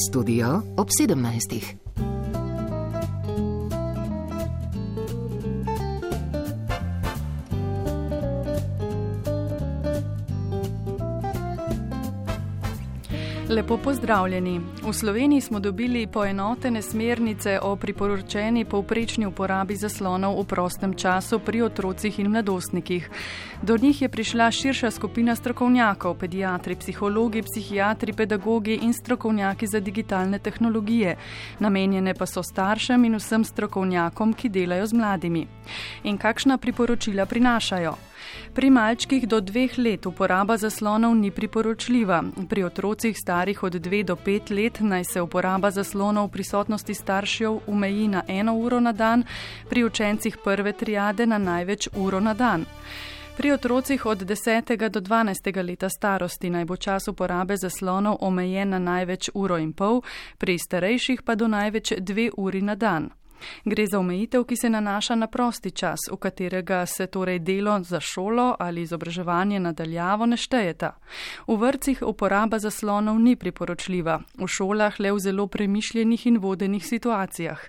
Studio ob 17. Lepo pozdravljeni. V Sloveniji smo dobili poenotene smernice o priporočeni povprečni uporabi zaslonov v prostem času pri otrocih in mladostnikih. Do njih je prišla širša skupina strokovnjakov, pediatri, psihologi, psihiatri, pedagogi in strokovnjaki za digitalne tehnologije. Namenjene pa so staršem in vsem strokovnjakom, ki delajo z mladimi. In kakšna priporočila prinašajo? Pri malčkih do 2 let uporaba zaslonov ni priporočljiva. Pri otrocih starih od 2 do 5 let naj se uporaba zaslonov v prisotnosti staršev omeji na 1 uro na dan, pri učencih prve triade na največ uro na dan. Pri otrocih od 10. do 12. leta starosti naj bo čas uporabe zaslonov omejen na največ 1,5 ure, pri starejših pa do največ 2 uri na dan. Gre za omejitev, ki se nanaša na prosti čas, v katerega se torej delo za šolo ali izobraževanje nadaljavo ne štejeta. V vrtcih uporaba zaslonov ni priporočljiva, v šolah le v zelo premišljenih in vodenih situacijah.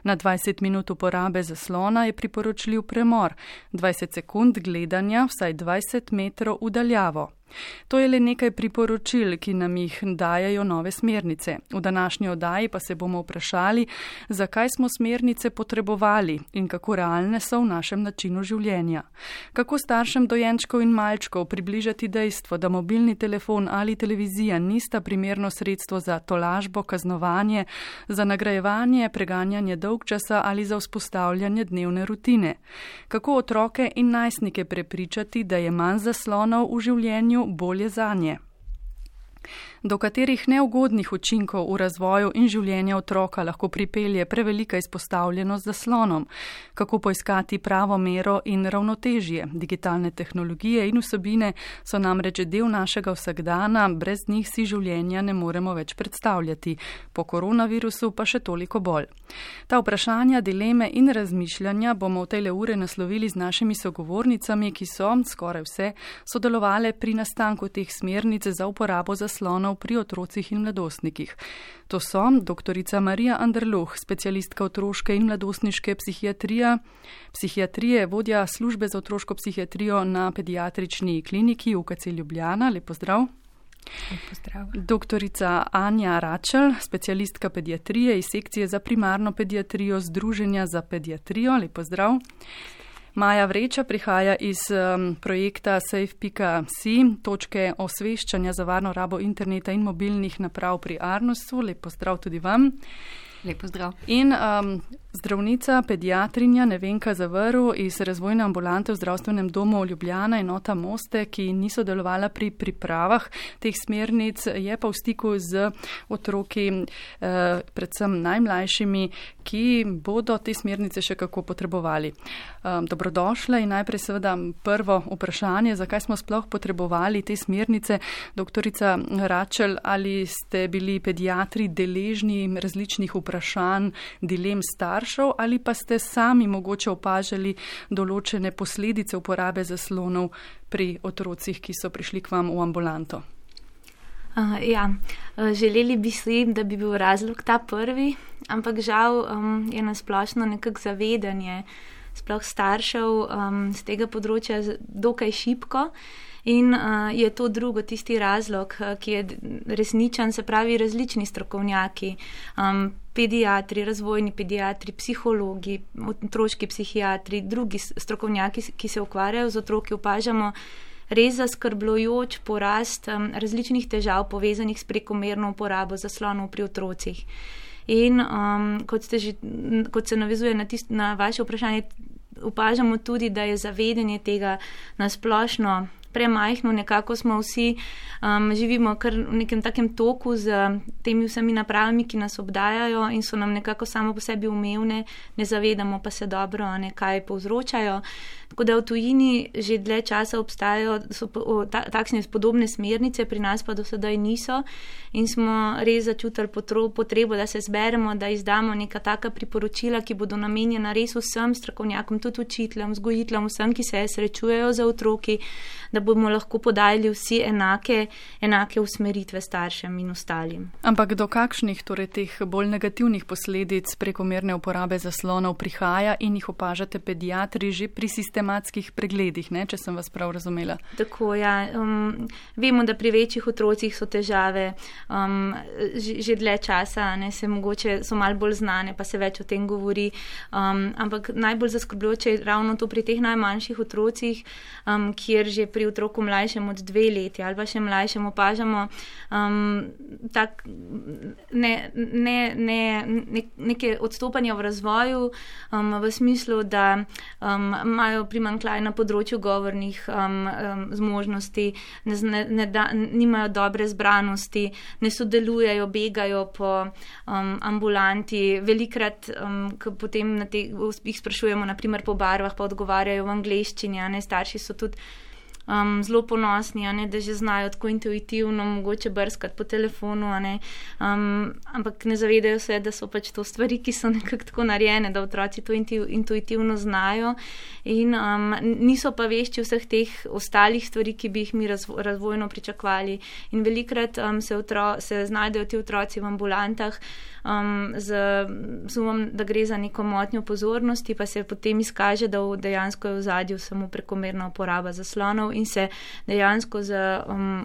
Na 20 minut uporabe zaslona je priporočljiv premor, 20 sekund gledanja vsaj 20 metrov v daljavo. To je le nekaj priporočil, ki nam jih dajajo nove smernice. V današnji oddaji pa se bomo vprašali, zakaj smo smernice potrebovali in kako realne so v našem načinu življenja. Kako staršem dojenčkov in malčkov približati dejstvo, da mobilni telefon ali televizija nista primerno sredstvo za tolažbo, kaznovanje, za nagrajevanje, preganjanje dolgčasa ali za vzpostavljanje dnevne rutine. Kako otroke in najstnike prepričati, da je manj zaslonov v življenju bolje zanje. Do katerih neugodnih učinkov v razvoju in življenju otroka lahko pripelje prevelika izpostavljenost zaslonom, kako poiskati pravo mero in ravnotežje. Digitalne tehnologije in vsebine so namreč del našega vsakdana, brez njih si življenja ne moremo več predstavljati, po koronavirusu pa še toliko bolj. Ta vprašanja, dileme in razmišljanja bomo v tejle ure naslovili z našimi sogovornicami, ki so, skoraj vse, sodelovale pri nastanku teh smernic za uporabo zaslonov pri otrocih in mladostnikih. To so doktorica Marija Anderluh, specialistka otroške in mladostniške psihiatrije, vodja službe za otroško psihiatrijo na pediatrični kliniki UKC Ljubljana. Lep pozdrav. Lep pozdrav. Doktorica Anja Račelj, specialistka pediatrije iz sekcije za primarno pediatrijo Združenja za pediatrijo. Lep pozdrav. Maja Vreča prihaja iz projekta safe.si, točke osveščanja za varno rabo interneta in mobilnih naprav pri Arnusu. Lep pozdrav tudi vam. Lep pozdrav. In zdravnica, pediatrinja Nevenka Zavrl iz razvojne ambulante v zdravstvenem domu Ljubljana, enota Moste, ki ni sodelovala pri pripravah teh smernic, je pa v stiku z otroki, predvsem najmlajšimi, ki bodo te smernice še kako potrebovali. Dobrodošle in najprej seveda prvo vprašanje, zakaj smo sploh potrebovali te smernice. Doktorica Račelj, ali ste bili pediatri deležni različnih vprašanj, dilem staršev, ali pa ste sami mogoče opažali določene posledice uporabe zaslonov pri otrocih, ki so prišli k vam v ambulanto? Želeli bi si, da bi bil razlog ta prvi, ampak žal je nasplošno nekako zavedanje sploh staršev z tega področja dokaj šibko. In je to drugo, tisti razlog, ki je resničen, se pravi različni strokovnjaki, pediatri, razvojni pediatri, psihologi, otroški psihiatri, drugi strokovnjaki, ki se ukvarjajo z otroki, opažamo res zaskrbljujoč porast različnih težav povezanih s prekomerno uporabo zaslonov pri otrocih. In kot se navezuje na vaše vprašanje, opažamo tudi, da je zavedanje tega nasplošno premajhno, nekako smo vsi, živimo kar v nekem takem toku z temi vsemi napravami, ki nas obdajajo in so nam nekako samo po sebi umevne, ne zavedamo pa se dobro, kaj povzročajo. Tako da v tujini že dlje časa obstajajo takšne podobne smernice, pri nas pa do sedaj niso in smo res začutili potrebo, da se zberemo, da izdamo neka taka priporočila, ki bodo namenjena res vsem strokovnjakom, tudi učiteljem, vzgojiteljem, vsem, ki se srečujejo z otroki, da bomo lahko podajali vsi enake usmeritve staršem in ostalim. Ampak do kakšnih torej teh bolj negativnih posledic prekomerne uporabe zaslonov prihaja in jih opažate pediatri že pri sistematskih pregledih, ne, če sem vas prav razumela? Tako, ja. Vemo, da pri večjih otrocih so težave že dlje časa, ne, so malo bolj znane, pa se več o tem govori, ampak najbolj zaskrbljujoče je ravno to pri teh najmanjših otrocih, kjer že pri otroku mlajšem od 2 leti ali pa še mlajšem opažamo neke odstopanja v razvoju, v smislu, da imajo primanjkljaj na področju govornih zmožnosti, nimajo dobre zbranosti, ne sodelujejo, begajo po ambulanti. Velikrat, ko potem jih sprašujemo, naprimer po barvah, pa odgovarjajo v angleščini, starši so tudi zelo ponosni, da že znajo tako intuitivno mogoče brskati po telefonu, ampak ne zavedajo se, da so pač to stvari, ki so nekako tako narejene, da otroci to intuitivno znajo in niso pa vešči vseh teh ostalih stvari, ki bi jih mi razvojno pričakovali. In velikrat se znajdejo ti otroci v ambulantah z sumom, da gre za neko motnjo pozornosti, pa se potem izkaže, da dejansko je v ozadju samo prekomerna uporaba zaslonov in se dejansko z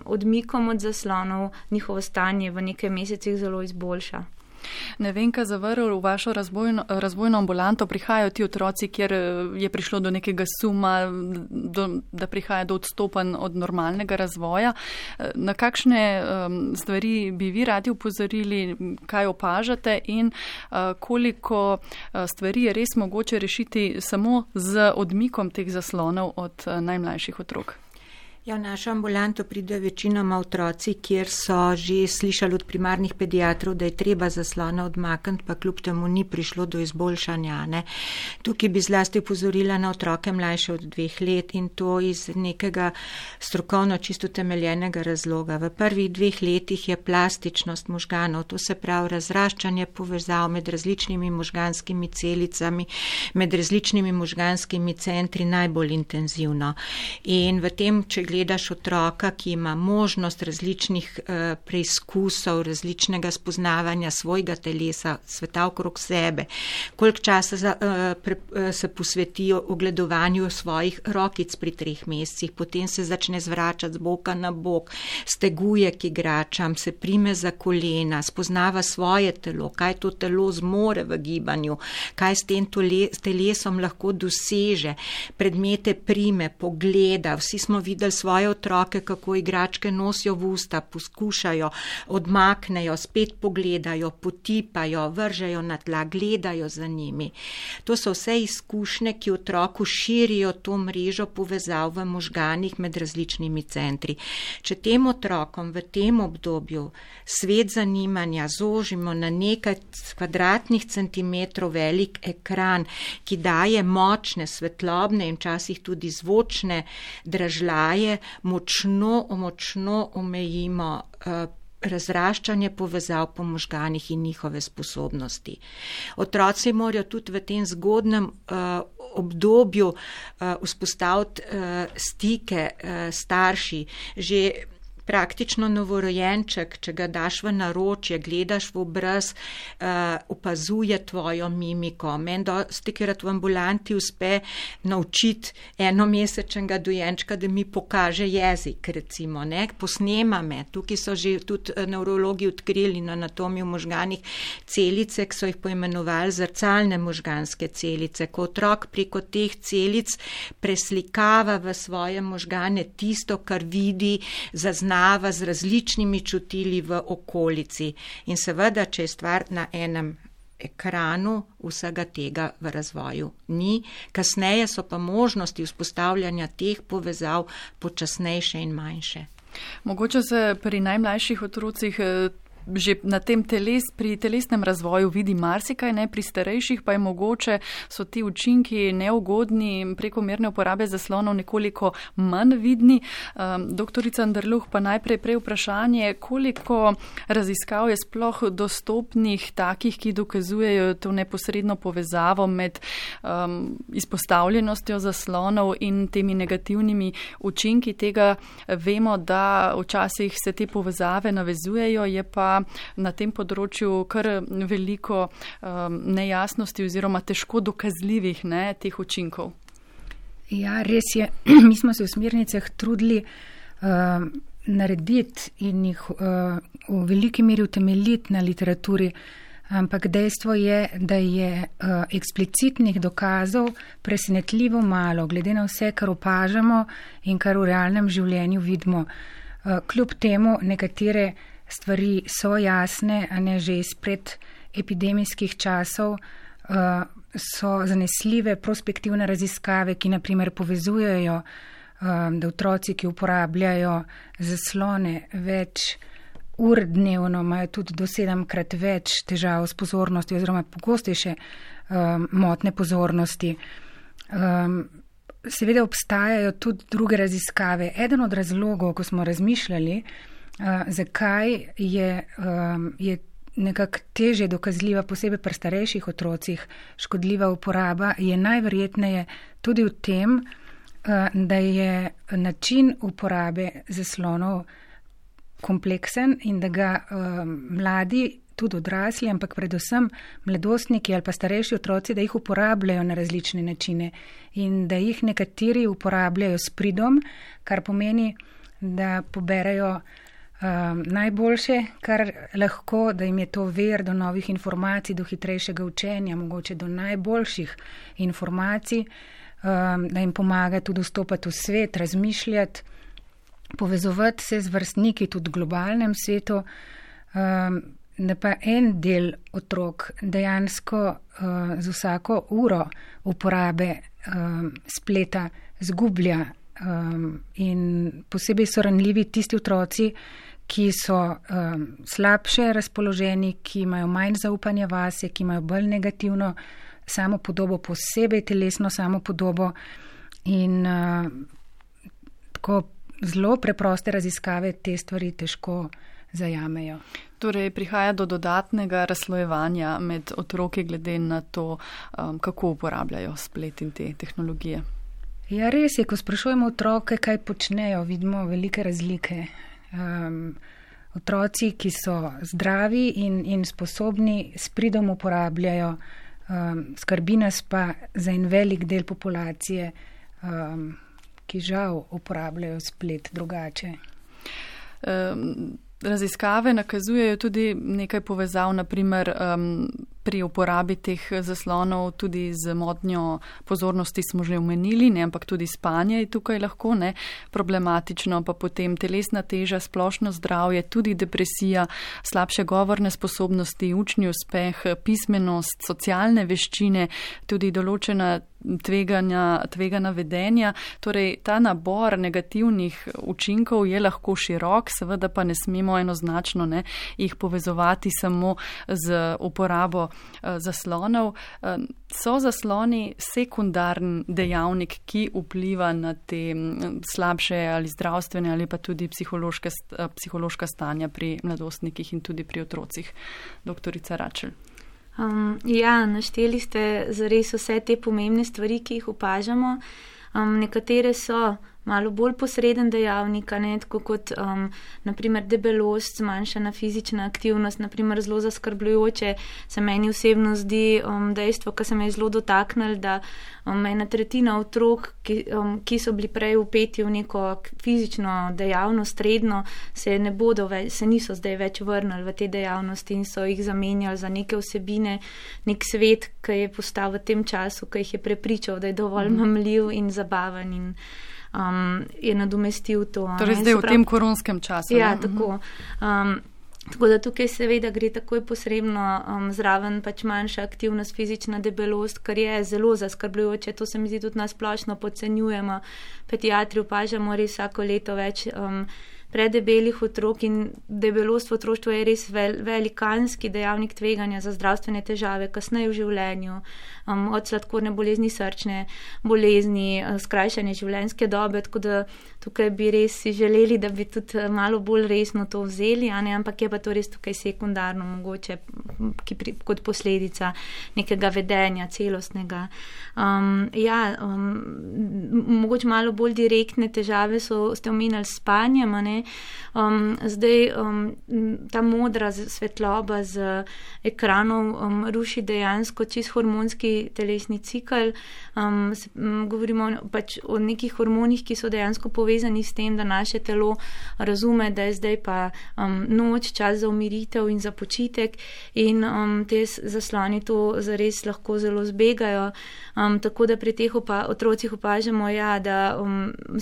odmikom od zaslonov njihovo stanje v nekaj mesecih zelo izboljša. Nevenka Zavrl, v vašo razvojno ambulanto prihajajo ti otroci, kjer je prišlo do nekega suma, da prihaja do odstopanj od normalnega razvoja. Na kakšne stvari bi vi radi upozorili, kaj opažate in koliko stvari je res mogoče rešiti samo z odmikom teh zaslonov od najmlajših otrok? Ja, v našo ambulanto pridejo večinoma otroci, kjer so že slišali od primarnih pediatrov, da je treba zaslona odmakniti, pa kljub temu ni prišlo do izboljšanja. Ne. Tukaj bi zlasti upozorila na otroke mlajše od 2 let in to iz nekega strokovno čisto temeljenega razloga. V prvih 2 letih je plastičnost možganov, to se pravi razraščanje povezav med različnimi možganskimi celicami, med različnimi možganskimi centri najbolj intenzivno. In v tem, če gledaš otroka, ki ima možnost različnih preizkusov, različnega spoznavanja svojega telesa, sveta okrog sebe, koliko časa se posvetijo ogledovanju svojih rokic pri 3 mesecih, potem se začne zvračati z boka na bok, steguje k igračam, se prime za kolena, spoznava svoje telo, kaj to telo zmore v gibanju, kaj s tem telesom lahko doseže, predmete prime, pogleda. Vsi smo videli svoje otroke, kako igračke nosijo v usta, poskušajo, odmaknejo, spet pogledajo, potipajo, vržejo na tla, gledajo za njimi. To so vse izkušnje, ki otroku širijo to mrežo povezav v možganih med različnimi centri. Če tem otrokom v tem obdobju svet zanimanja zožimo na nekaj kvadratnih centimetrov velik ekran, ki daje močne, svetlobne in včasih tudi zvočne dražljaje, močno omejimo razraščanje povezav po možganih in njihove sposobnosti. Otroci morajo tudi v tem zgodnem obdobju vzpostaviti stike starši. Že praktično novorojenček, če ga daš v naročje, gledaš v obraz, opazuje tvojo mimiko. Meni dostikrat v ambulanti uspe naučiti enomesečnega dojenčka, da mi pokaže jezik, recimo, ne, posnema me. Tukaj so že tudi nevrologi odkrili na anatomiji v možganih celice, ki so jih poimenovali zrcalne možganske celice. Ko otrok preko teh celic preslikava v svoje možgane tisto, kar vidi, zazna z različnimi čutili v okolici. In seveda, če je stvar na enem ekranu, vsega tega v razvoju ni. Kasneje so pa možnosti vzpostavljanja teh povezav počasnejše in manjše. Mogoče se pri najmlajših otrocih že na tem pri telesnem razvoju vidi marsikaj, ne, pri starejših pa je mogoče, so ti učinki neugodni, prekomerne uporabe zaslonov nekoliko manj vidni. Doktorica Anderluh, pa najprej vprašanje, koliko raziskav je sploh dostopnih takih, ki dokazujejo to neposredno povezavo med izpostavljenostjo zaslonov in temi negativnimi učinki tega. Vemo, da včasih se te povezave navezujejo, je pa na tem področju kar veliko nejasnosti oziroma težko dokazljivih teh učinkov. Ja, res je. Mi smo se v smernicah trudili narediti in jih v veliki meri utemeljiti na literaturi, ampak dejstvo je, da je eksplicitnih dokazov presenetljivo malo, glede na vse, kar opažamo in kar v realnem življenju vidimo. Kljub temu nekatere stvari so jasne, a ne že izpred epidemijskih časov, so zanesljive prospektivne raziskave, ki naprimer povezujejo, da otroci, ki uporabljajo zaslone več ur dnevno, imajo tudi do 7-krat več težav s pozornostjo oziroma pogostejše motne pozornosti. Seveda obstajajo tudi druge raziskave. Eden od razlogov, ko smo razmišljali, zakaj je nekako težje dokazljiva, posebej pri starejših otrocih, škodljiva uporaba, je najverjetneje tudi v tem, da je način uporabe zaslonov kompleksen in da ga mladi, tudi odrasli, ampak predvsem mladostniki ali pa starejši otroci, da jih uporabljajo na različne načine in da jih nekateri uporabljajo s pridom, kar pomeni, da poberajo najboljše, kar lahko, da jim je to ver do novih informacij, do hitrejšega učenja, mogoče do najboljših informacij, da jim pomaga tudi vstopati v svet, razmišljati, povezovati se z vrstniki tudi v globalnem svetu, da pa en del otrok dejansko z vsako uro uporabe spleta zgublja in posebej so ranljivi tisti otroci, ki so slabše razpoloženi, ki imajo manj zaupanja vase, ki imajo bolj negativno samopodobo, posebej telesno samopodobo in tako zelo preproste raziskave te stvari težko zajamejo. Torej, prihaja do dodatnega razslojevanja med otroki glede na to, kako uporabljajo splet in te tehnologije. Ja, res je, ko sprašujemo otroke, kaj počnejo, vidimo velike razlike. Otroci, ki so zdravi in sposobni, s pridom uporabljajo, skrbi nas pa za en velik del populacije, ki žal uporabljajo splet drugače. Raziskave nakazujejo tudi nekaj povezav, naprimer pri uporabi teh zaslonov tudi z motnjo pozornosti smo že omenili, ne, ampak tudi spanje je tukaj lahko problematično, pa potem telesna teža, splošno zdravje, tudi depresija, slabše govorne sposobnosti, učni uspeh, pismenost, socialne veščine, tudi določena tvegana vedenja. Torej, ta nabor negativnih učinkov je lahko širok, seveda pa ne smemo enoznačno jih povezovati samo z uporabo zaslonov. So zasloni sekundarni dejavnik, ki vpliva na te slabše ali zdravstvene ali pa tudi psihološka stanja pri mladostnikih in tudi pri otrocih. Doktorica Račelj. Ja, našteli ste zares vse te pomembne stvari, ki jih opažamo. Nekatere so malo bolj posreden dejavnik, tako kot naprimer debelost, zmanjšana fizična aktivnost, naprimer zelo zaskrbljujoče se meni osebno zdi dejstvo, ki se me je zelo dotaknil, da 1/3 otrok, ki so bili prej vpeti v neko fizično dejavnost redno, se niso zdaj več vrnili v te dejavnosti in so jih zamenjali za neke vsebine, nek svet, ki je postal v tem času, ki jih je prepričal, da je dovolj mamljiv in zabaven in je nadomestil to. Torej zdaj v tem koronskem času. Ja, tako. Tako da tukaj seveda gre takoj posrebno zraven pač manjša aktivnost, fizična debelost, kar je zelo zaskrbljujoče. To se mi zdi tudi nasplošno podcenjujemo. Pediatri opažamo res vsako leto več predebelih otrok in debelost v otroštvu je res velikanski dejavnik tveganja za zdravstvene težave kasneje v življenju, od sladkorne bolezni, srčne bolezni, skrajšanje življenjske dobe, tako da tukaj bi res si želeli, da bi tudi malo bolj resno to vzeli, ampak je pa to res tukaj sekundarno mogoče kot posledica nekega vedenja celostnega. Mogoče malo bolj direktne težave ste omenjali s spanjem, zdaj ta modra svetloba z ekranov ruši dejansko čist hormonski telesni cikl. Govorimo pač o nekih hormonih, ki so dejansko povezani s tem, da naše telo razume, da je zdaj pa noč, čas za umiritev in za počitek in te zasloni to zares lahko zelo zbegajo. Tako da pri teh otrocih opažamo, da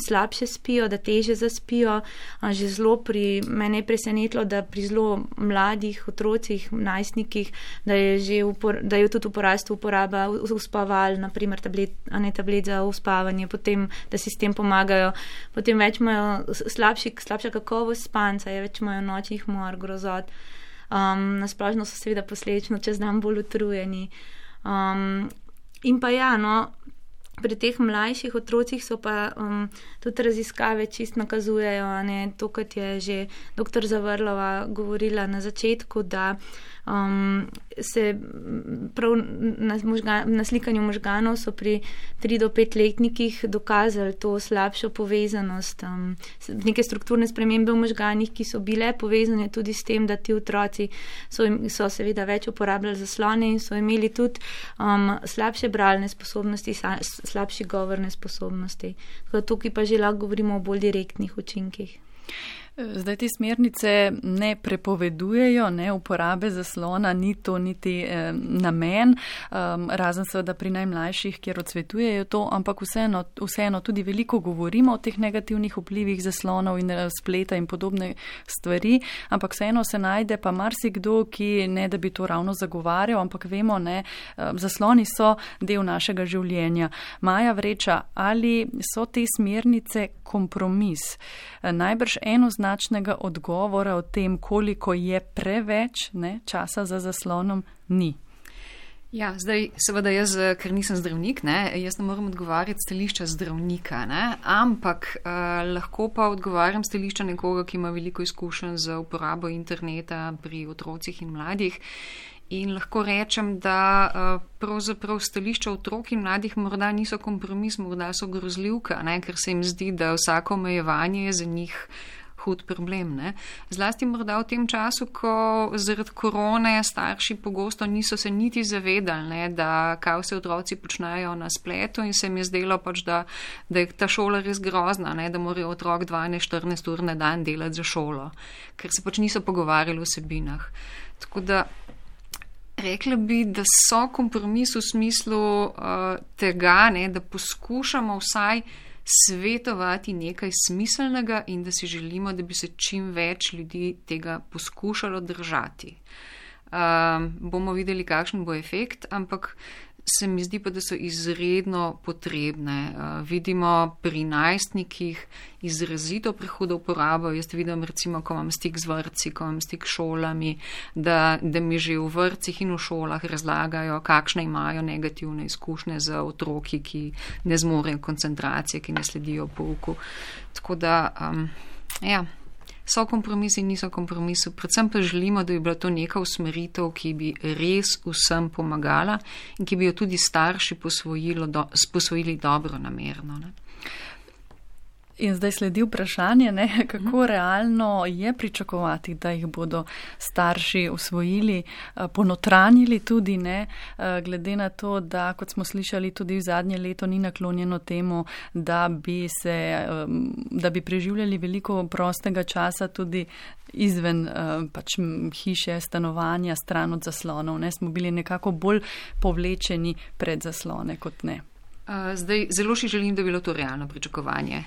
slabše spijo, da teže zaspijo. Že zelo mene je presenetilo, da pri zelo mladih otrocih, najstnikih, da je tudi v porastu uporaba uspaval, naprimer tablet za uspavanje, potem, da si s tem pomagajo. Potem več imajo slabša kakovost spanca, več imajo nočnih mor, grozot. Nasplošno so seveda posledično čez dan bolj utrujeni. In pa pri teh mlajših otrocih so pa tudi raziskave čist nakazujejo, to, kot je že dr. Zavrlova govorila na začetku, da se prav na slikanju možganov so pri 3 do 5 letnikih dokazali to slabšo povezanost, neke strukturne spremembe v možganih, ki so bile povezane tudi s tem, da ti otroci so seveda več uporabljali zaslone in so imeli tudi slabše bralne sposobnosti, slabši govorne sposobnosti. Tukaj pa že lahko govorimo o bolj direktnih učinkih. Zdaj te smernice ne prepovedujejo uporabe zaslona, ni to niti namen, razen seveda pri najmlajših, kjer odsvetujejo to, ampak vseeno tudi veliko govorimo o teh negativnih vplivih zaslonov in spleta in podobne stvari, ampak vseeno se najde pa marsikdo, ki ne da bi to ravno zagovarjal, ampak vemo, zasloni so del našega življenja. Maja Vreča, ali so te smernice kompromis? Najbrž enoznačnega odgovora o tem, koliko je preveč časa za zaslonom, ni. Ja, zdaj seveda jaz, ker nisem zdravnik, jaz ne morem odgovarjati stališča zdravnika, ampak lahko pa odgovarjam stališča nekoga, ki ima veliko izkušenj z uporabo interneta pri otrocih in mladih. In lahko rečem, da pravzaprav stališča otrok in mladih morda niso kompromis, morda so grozljivka, ker se jim zdi, da vsako omejevanje je za njih hud problem. Zlasti morda v tem času, ko zaradi korone starši pogosto niso se niti zavedali, da kaj vse otroci počnejo na spletu in se jim je zdelo pač, da je ta šola res grozna, da morajo otrok 12-14 ur na dan delati za šolo, ker se pač niso pogovarjali o vsebinah. Tako da rekla bi, da so kompromis v smislu tega, da poskušamo vsaj svetovati nekaj smiselnega in da si želimo, da bi se čim več ljudi tega poskušalo držati. Bomo videli, kakšen bo efekt, ampak se mi zdi pa, da so izredno potrebne. Vidimo pri najstnikih izrazito prehudo uporabo. Jaz vidim recimo, ko imam stik z vrtci, ko imam stik s šolami, da mi že v vrtcih in v šolah razlagajo, kakšne imajo negativne izkušnje z otroki, ki ne zmorejo koncentracije, ki ne sledijo pouku. Tako da, so kompromisi, niso kompromisi. Predvsem pa želimo, da bi bila to neka usmeritev, ki bi res vsem pomagala in ki bi jo tudi starši posvojili dobro namerno. In zdaj sledi vprašanje, kako realno je pričakovati, da jih bodo starši usvojili, ponotranjili tudi, glede na to, da, kot smo slišali, tudi v zadnje leto ni naklonjeno temu, da bi preživljali veliko prostega časa tudi izven hiše, stanovanja, stran od zaslonov. Smo bili nekako bolj povlečeni pred zaslone kot ne. Zdaj, zelo si želim, da bi bilo to realno pričakovanje.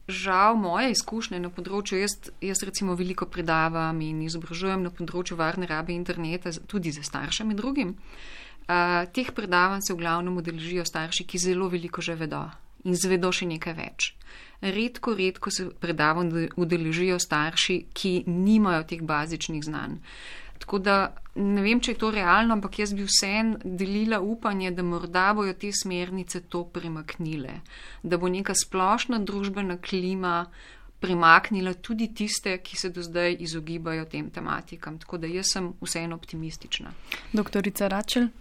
Žal moje izkušnje na področju, jaz recimo veliko predavam in izobražujem na področju varne rabe interneta, tudi za starše med drugim. Teh predavanj se v glavnem udeležijo starši, ki zelo veliko že vedo in zvedo še nekaj več. Redko se predavanj udeležijo starši, ki nimajo teh bazičnih znanj. Tako da ne vem, če je to realno, ampak jaz bi vseeno delila upanje, da morda bojo te smernice to premaknile, da bo neka splošna družbena klima premaknila tudi tiste, ki se do zdaj izogibajo tem tematikam. Tako da jaz sem vseeno optimistična. Doktorica Račel?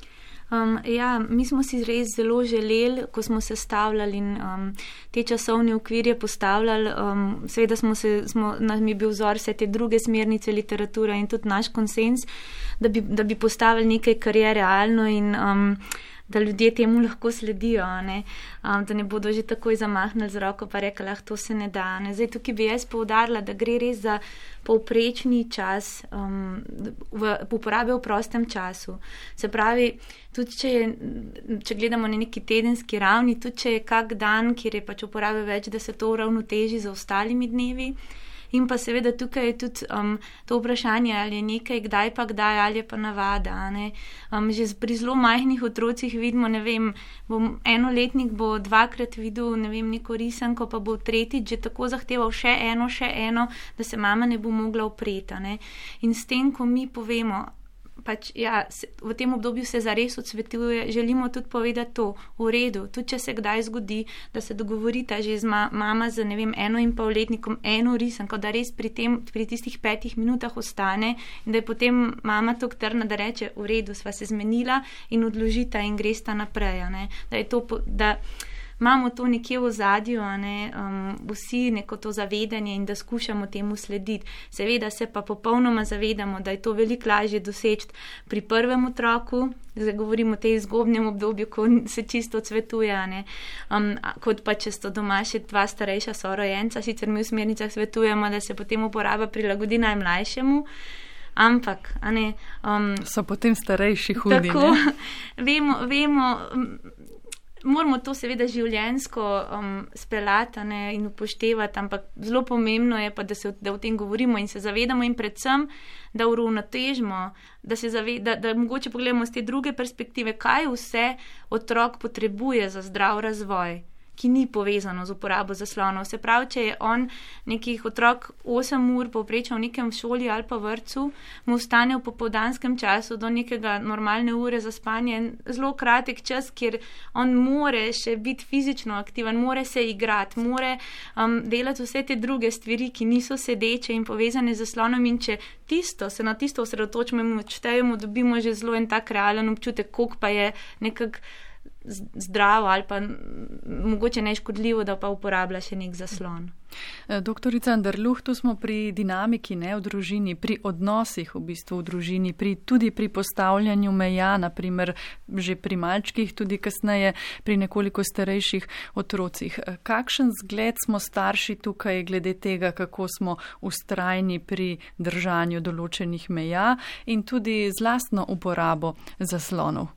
Mi smo si res zelo želeli, ko smo sestavljali in te časovne okvirje postavljali, seveda nam je bil vzor vse te druge smernice literature in tudi naš konsens, da bi postavili nekaj, kar je realno in da ljudje temu lahko sledijo, da ne bodo že takoj zamahnili z roko pa rekli, to se ne da. Zdaj tukaj bi jaz poudarila, da gre res za povprečni čas uporabe v prostem času. Se pravi, tudi če gledamo na neki tedenski ravni, tudi če je kak dan, kjer je pač uporabe več, da se to uravnoteži z ostalimi dnevi. In pa seveda tukaj je tudi to vprašanje, ali je nekaj kdaj pa kdaj, ali je pa navada. Že pri zelo majhnih otrocih vidimo, ne vem, enoletnik bo 2-krat videl, ne vem, neko risanko, pa bo tretjič že tako zahteval še eno, da se mama ne bo mogla upreti. In s tem, ko mi povemo, v tem obdobju se zares odsvetuje, želimo tudi povedati to, v redu, tudi če se kdaj zgodi, da se dogovorita že z mama z, ne vem, 1,5-letnikom eno risanko, da res pri tistih 5 minutah ostane in da je potem mama tako trna, da reče, v redu, sva se zmenila in odložita in gresta naprej, da je to, da imamo to nekje v ozadju, vsi neko to zavedanje in da skušamo temu slediti. Seveda se pa popolnoma zavedamo, da je to veliko lažje doseči pri prvem otroku, zdaj govorimo o tej zgodnjem obdobju, ko se čisto odsvetuje, kot pa če sto doma še 2 starejša sorojenca, sicer mi v smernicah svetujemo, da se potem uporaba prilagodi najmlajšemu, ampak, so potem starejši hudi, tako, vemo, moramo to seveda življenjsko speljati in upoštevati, ampak zelo pomembno je pa, da o tem govorimo in se zavedamo in predvsem, da uravnotežimo, da mogoče pogledamo z te druge perspektive, kaj vse otrok potrebuje za zdrav razvoj, ki ni povezano z uporabo zaslonov. Se pravi, če je on nekih otrok 8 ur povprečal v nekem šoli ali pa vrtcu, mu ostane v popoldanskem času do nekega normalne ure za spanje zelo kratek čas, kjer on more še biti fizično aktiven, more se igrati, more delati vse te druge stvari, ki niso sedeče in povezane z zaslonom, in če se na tisto osredotočimo in odštejemo, dobimo že zelo en tak realen občutek, koliko pa je nekako zdravo ali pa mogoče neškodljivo, da pa uporablja še nek zaslon. Doktorica Anderluh, tu smo pri dinamiki v družini, pri odnosih v bistvu v družini, tudi pri postavljanju meja, naprimer že pri malčkih, tudi kasneje pri nekoliko starejših otrocih. Kakšen zgled smo starši tukaj glede tega, kako smo vztrajni pri držanju določenih meja in tudi z lastno uporabo zaslonov?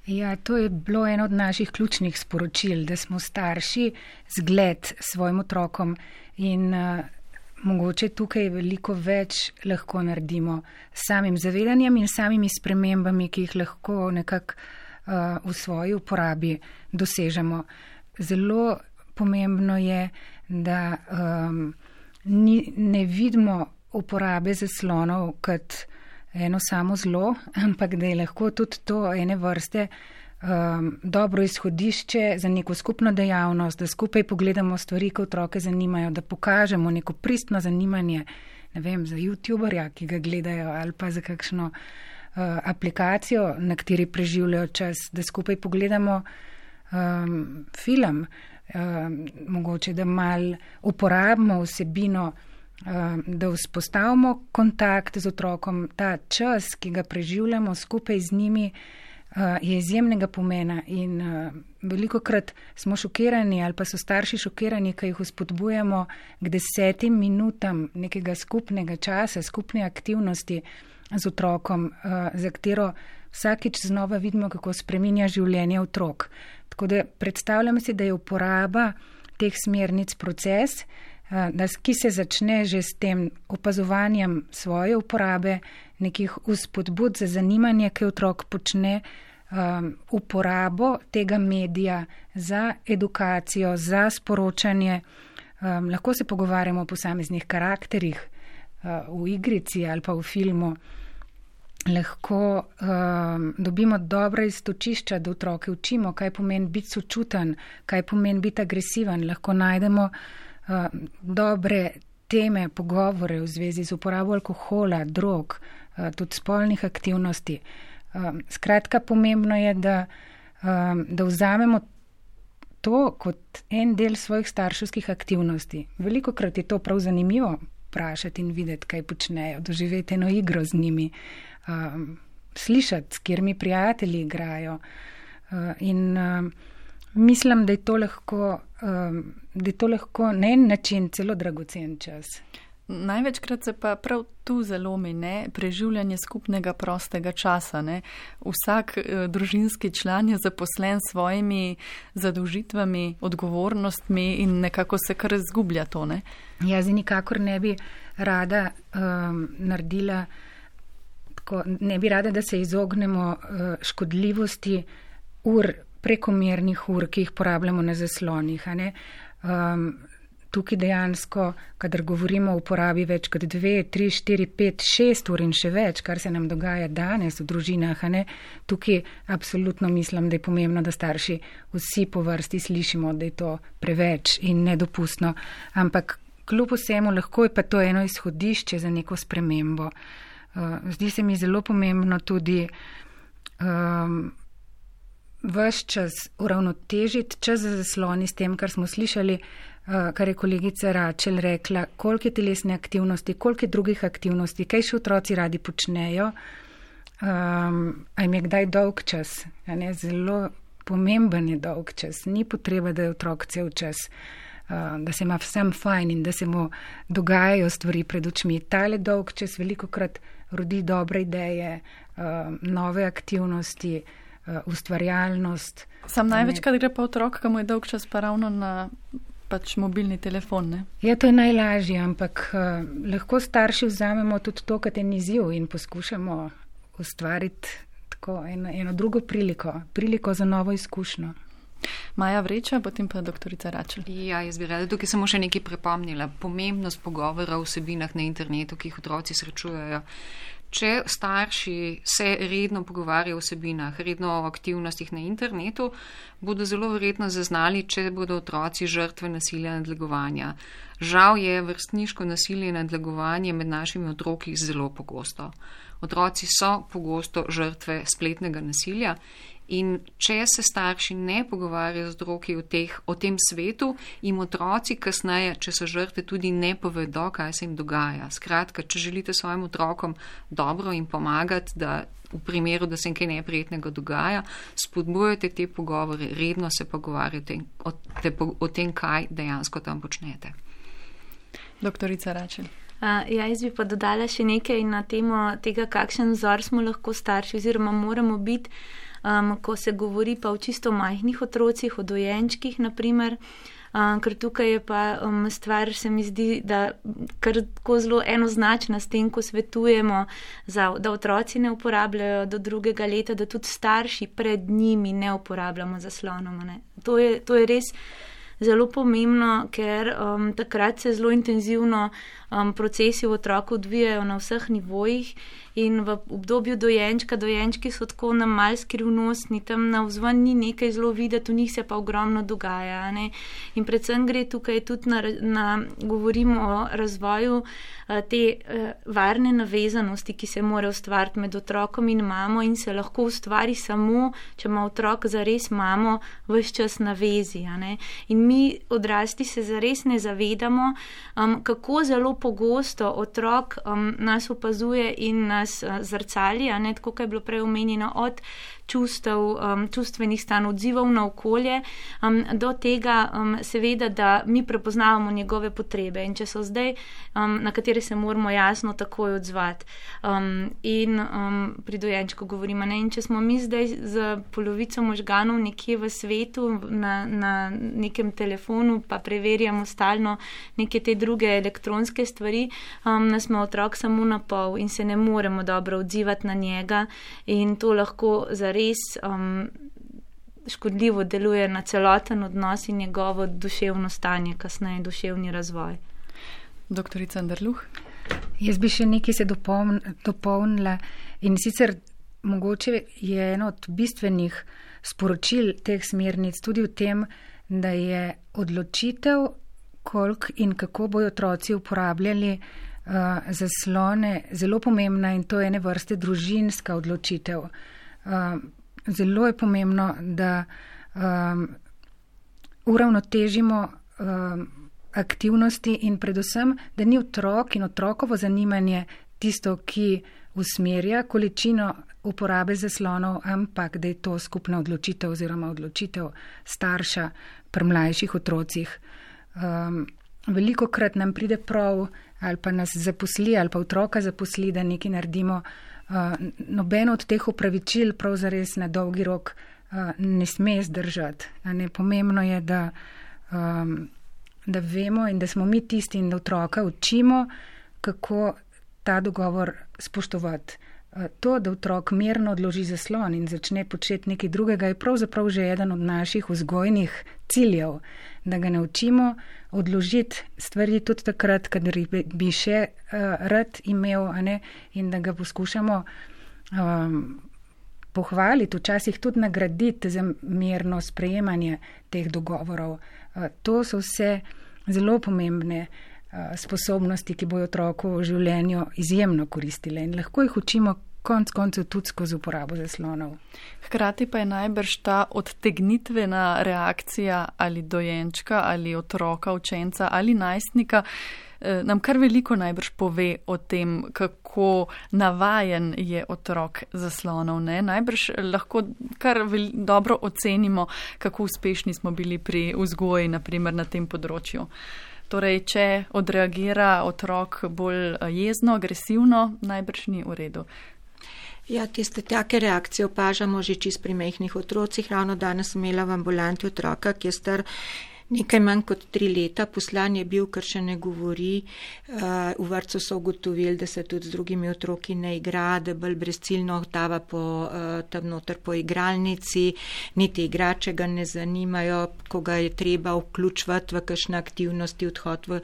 Ja, to je bilo eno od naših ključnih sporočil, da smo starši zgled svojim otrokom in mogoče tukaj veliko več lahko naredimo s samim zavedanjem in samimi spremembami, ki jih lahko nekako v svoji uporabi dosežemo. Zelo pomembno je, da ne vidimo uporabe zaslonov kot eno samo zlo, ampak da je lahko tudi to ene vrste dobro izhodišče za neko skupno dejavnost, da skupaj pogledamo stvari, ki otroke zanimajo, da pokažemo neko pristno zanimanje, ne vem, za youtuberja, ki ga gledajo, ali pa za kakšno aplikacijo, na kateri preživljajo čas, da skupaj pogledamo film, mogoče da malo uporabimo vsebino, da vzpostavimo kontakt z otrokom. Ta čas, ki ga preživljamo skupaj z njimi, je izjemnega pomena in velikokrat smo šokirani ali pa so starši šokirani, ko jih vzpodbujamo k 10 minutam nekega skupnega časa, skupne aktivnosti z otrokom, za katero vsakič znova vidimo, kako spreminja življenje otrok. Tako da predstavljam si, da je uporaba teh smernic proces, ki se začne že s tem opazovanjem svoje uporabe, nekih vzpodbud za zanimanje, ki otrok počne uporabo tega medija za edukacijo, za sporočanje. Lahko se pogovarjamo o posameznih karakterih v igrici ali pa v filmu. Lahko dobimo dobra iztočišča, da otroke učimo, kaj pomeni biti sočuten, kaj pomeni biti agresiven. Lahko najdemo dobre teme, pogovore v zvezi z uporabo alkohola, drog, tudi spolnih aktivnosti. Skratka, pomembno je, da vzamemo to kot en del svojih starševskih aktivnosti. Velikokrat je to prav zanimivo vprašati in videti, kaj počnejo, doživeti eno igro z njimi, slišati, s katerimi prijatelji igrajo. In mislim, da je to lahko na en način celo dragocen čas. Največkrat se pa prav tu zalomi, preživljanje skupnega prostega časa. Vsak družinski član je zaposlen s svojimi zadolžitvami, odgovornostmi in nekako se kar izgublja to. Jaz nikakor ne bi rada naredila tako, ne bi rada, da se izognemo škodljivosti prekomernih ur, ki jih porabljamo na zaslonih. Tukaj dejansko, kadar govorimo o uporabi več kot 2, 3, 4, 5, 6 ur in še več, kar se nam dogaja danes v družinah, tukaj absolutno mislim, da je pomembno, da starši vsi po vrsti slišimo, da je to preveč in nedopustno. Ampak kljub vsemu lahko je pa to eno izhodišče za neko spremembo. Zdi se mi zelo pomembno tudi ves čas uravnotežiti čas za zasloni s tem, kar smo slišali, kar je kolegica Račel rekla, koliko je telesne aktivnosti, koliko je drugih aktivnosti, kaj še otroci radi počnejo, a jim je kdaj dolg čas. Zelo pomemben je dolg čas. Ni potreba, da je otrok cel čas, da se ima vsem fajn in da se mu dogajajo stvari pred očmi. Tale dolg čas velikokrat rodi dobre ideje, nove aktivnosti, ustvarjalnost. Sam največkrat gre pa otrok, ki mu je dolg čas pa ravno na mobilni telefon, ne? Ja, to je najlažje, ampak lahko starši vzamemo tudi to, kar je izziv in poskušamo ustvariti tako eno drugo priliko za novo izkušnjo. Maja Vreča, potem pa doktorica Račel. Ja, jaz bi rada tukaj samo še nekaj pripomnila. Pomembnost pogovora o vsebinah na internetu, ki jih otroci srečujejo. Če starši se redno pogovarjajo o vsebinah, redno o aktivnostih na internetu, bodo zelo verjetno zaznali, če bodo otroci žrtve nasilja in nadlegovanja. Žal je vrstniško nasilje in nadlegovanje med našimi otroki zelo pogosto. Otroci so pogosto žrtve spletnega nasilja in če se starši ne pogovarjajo z otroki o tem svetu, jim otroci kasneje, če so žrtve, tudi ne povedo, kaj se jim dogaja. Skratka, če želite svojim otrokom dobro in pomagati, da v primeru, da se jim kaj neprijetnega dogaja, spodbujate te pogovore, redno se pogovarjate o tem, kaj dejansko tam počnete. Doktorica Račel. Jaz bi pa dodala še nekaj na temo tega, kakšen vzor smo lahko starši oziroma moramo biti, ko se govori pa o čisto majhnih otrocih, o dojenčkih naprimer, ker tukaj je pa stvar, se mi zdi, da kar tako zelo enoznačna s tem, ko svetujemo, da otroci ne uporabljajo do 2. leta, da tudi starši pred njimi ne uporabljamo zaslonov. To je res zelo pomembno, ker takrat se zelo intenzivno procesi v otroku odvijajo na vseh nivojih in v obdobju dojenčki so tako nam mal skrivnostni, tam navzven ni nekaj zelo videti, v njih se pa ogromno dogaja. In predvsem gre tukaj tudi govorimo o razvoju te varne navezanosti, ki se mora ustvariti med otrokom in mamo in se lahko ustvari samo, če ima otrok zares mamo ves čas na vezi. In mi odrasli se zares ne zavedamo, kako zelo pogosto otrok nas opazuje in nas zrcali, tako kot je bilo prej omenjeno, od čustvenih stanj, odzivov na okolje, do tega seveda, da mi prepoznavamo njegove potrebe in če so zdaj, na katere se moramo jasno takoj odzvati. In pri dojenčku govorimo, in če smo mi zdaj z polovico možganov nekje v svetu, na nekem telefonu, pa preverjamo stalno neke te druge elektronske stvari, nas ima otrok samo na pol in se ne moremo dobro odzivati na njega in to lahko zares res škodljivo deluje na celoten odnos in njegovo duševno stanje, kasneje duševni razvoj. Doktorica Anderluh? Jaz bi še nekaj se dopolnila in sicer mogoče je eno od bistvenih sporočil teh smernic tudi v tem, da je odločitev, koliko in kako bojo otroci uporabljali zaslone, zelo pomembna in to je ene vrste družinska odločitev. Zelo je pomembno, da uravnotežimo aktivnosti in predvsem, da ni otrok in otrokovo zanimanje tisto, ki usmerja količino uporabe zaslonov, ampak da je to skupna odločitev oziroma odločitev starša pri mlajših otrocih. Velikokrat nam pride prav ali pa nas zaposli ali pa otroka zaposli, da nekaj naredimo. Nobeno od teh upravičil prav zares na dolgi rok ne sme zdržati. Pomembno je, da vemo in da smo mi tisti in da otroka učimo, kako ta dogovor spoštovati. To, da otrok mirno odloži zaslon in začne početi nekaj drugega, je pravzaprav že eden od naših vzgojnih ciljev, da ga naučimo odložiti stvari tudi takrat, kadar bi še rad imel, in da ga poskušamo pohvaliti, včasih tudi nagraditi za mirno sprejemanje teh dogovorov. To so vse zelo pomembne sposobnosti, ki bojo otroku v življenju izjemno koristile in lahko jih učimo konec koncev tudi skozi uporabo zaslonov. Hkrati pa je najbrž ta odtegnitvena reakcija ali dojenčka ali otroka, učenca ali najstnika nam kar veliko najbrž pove o tem, kako navajen je otrok zaslonov. Najbrž lahko kar dobro ocenimo, kako uspešni smo bili pri vzgoji, naprimer na tem področju. Torej, če odreagira otrok bolj jezno, agresivno, najbrž ni v redu. Ja, tiste take reakcije opažamo že čist pri majhnih otrocih. Ravno danes sem imela v ambulanti otroka, ki je star nekaj manj kot 3 leta. Poslan je bil, ker še ne govori. V vrtcu so ugotovili, da se tudi z drugimi otroki ne igra, da bolj brezciljno odtava tam noter po igralnici, niti igrače ga ne zanimajo, ko ga je treba vključevati v kakšne aktivnosti, odhod v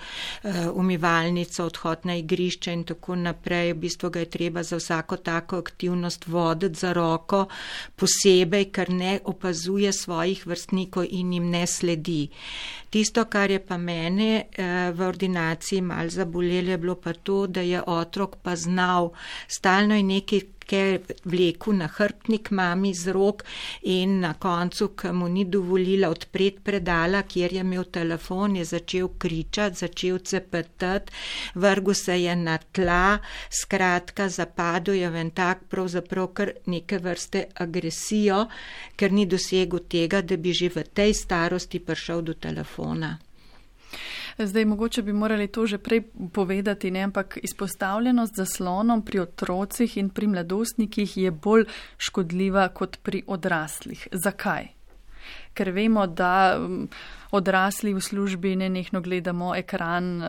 umivalnico, odhod na igrišče in tako naprej. V bistvu ga je treba za vsako tako aktivnost voditi za roko posebej, ker ne opazuje svojih vrstnikov in jim ne sledi. Tisto, kar je pa mene v ordinaciji malo zabolelo, je bilo pa to, da je otrok pa znal stalno in nekaj vleku na hrbtnik mami z rok in na koncu, ko mu ni dovolila odpreti predala, kjer je imel telefon, je začel kričati, začel cepetati, vrgel se je na tla, skratka zapadel je v en tak pravzaprav kar neke vrste agresijo, ker ni dosegel tega, da bi že v tej starosti prišel do telefona. Zdaj, mogoče bi morali to že prej povedati, ampak izpostavljenost zaslonom pri otrocih in pri mladostnikih je bolj škodljiva kot pri odraslih. Zakaj? Ker vemo, da odrasli v službi nenehno gledamo ekran,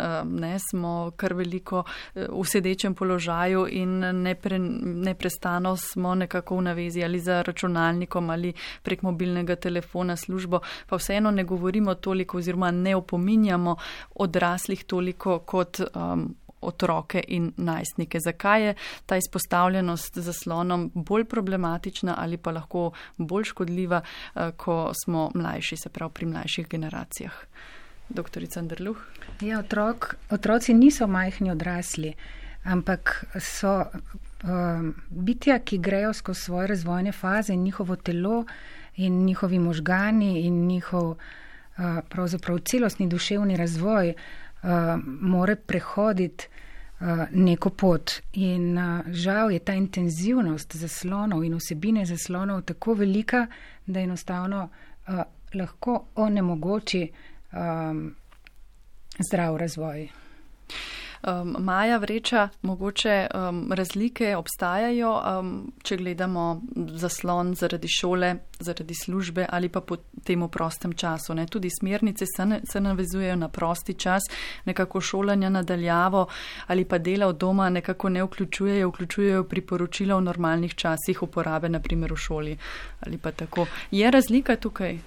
smo kar veliko v sedečem položaju in neprestano smo nekako v navezi ali za računalnikom ali prek mobilnega telefona službo, pa vseeno ne govorimo toliko oziroma ne opominjamo odraslih toliko kot otroke in najstnike. Zakaj je ta izpostavljenost zaslonom bolj problematična ali pa lahko bolj škodljiva, ko smo mlajši, se pravi pri mlajših generacijah? Doktorica Anderluh? Ja, otroci niso majhni odrasli, ampak so bitja, ki grejo skozi svoje razvojne faze in njihovo telo in njihovi možgani in njihov pravzaprav celostni duševni razvoj more prehoditi neko pot. In žal je ta intenzivnost zaslonov in vsebine zaslonov tako velika, da enostavno lahko onemogoči zdrav razvoj. Maja Vreča, mogoče razlike obstajajo, če gledamo zaslon zaradi šole, zaradi službe ali pa po temu prostem času. Ne? Tudi smernice se navezujejo na prosti čas, nekako šolanja nadaljavo ali pa dela od doma nekako ne vključujejo priporočila v normalnih časih uporabe, naprimer v šoli ali pa tako. Je razlika tukaj?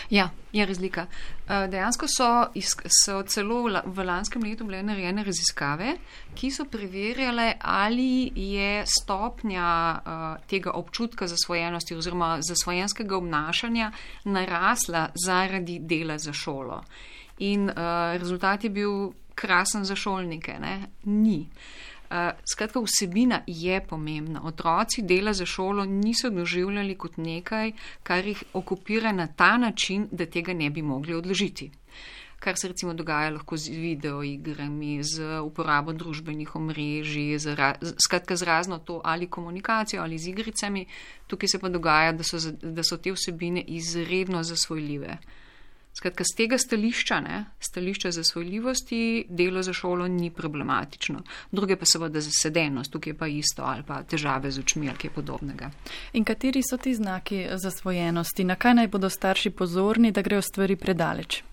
Ja, je razlika. Dejansko so celo v lanskem letu bile narejene raziskave, ki so preverjale, ali je stopnja tega občutka zasvojenosti oziroma zasvojenskega obnašanja narasla zaradi dela za šolo. In rezultat je bil krasen za šolnike, ne? Ni. Skratka, vsebina je pomembna. Otroci dela za šolo niso doživljali kot nekaj, kar jih okupira na ta način, da tega ne bi mogli odložiti. Kar se recimo dogaja lahko z videoigrami, z uporabo družbenih omrežij, skratka z razno to ali komunikacijo ali z igricami. Tukaj se pa dogaja, da so te vsebine izredno zasvojljive. Skratka, z tega stališča zasvojljivosti, delo za šolo ni problematično. Druge pa seveda zasedenost, tukaj je pa isto, ali pa težave z očmi ali kaj podobnega. In kateri so ti znaki zasvojenosti? Na kaj naj bodo starši pozorni, da grejo stvari predaleč?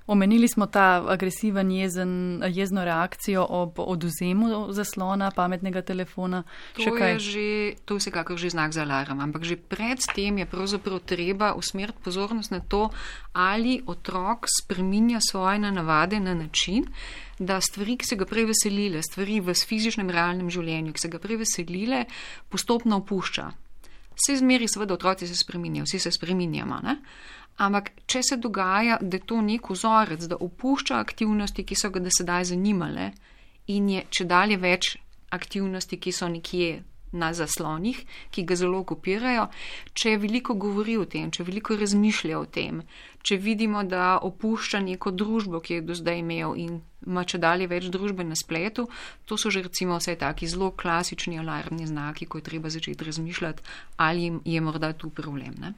Omenili smo ta agresiven, jezno reakcijo ob odvzemu zaslona, pametnega telefona. To je vsekakor že znak za alarm, ampak že pred tem je pravzaprav treba usmeriti pozornost na to, ali otrok spreminja svoje navade na način, da stvari, ki se ga prej veselile, stvari v fizičnem realnem življenju, ki se ga prej veselile, postopno opušča. Vse zmeri seveda otroci se spreminjajo, vsi se spreminjamo, ne? Ampak, če se dogaja, da je to nek vzorec, da opušča aktivnosti, ki so ga do sedaj zanimale in je čedalje več aktivnosti, ki so nekje na zaslonih, ki ga zelo okupirajo, če veliko govori o tem, če veliko razmišlja o tem, če vidimo, da opušča neko družbo, ki je do zdaj imel in ima čedalje več družbe na spletu, to so že recimo vse taki zelo klasični alarmni znaki, ko je treba začeti razmišljati, ali je morda tu problem, ne?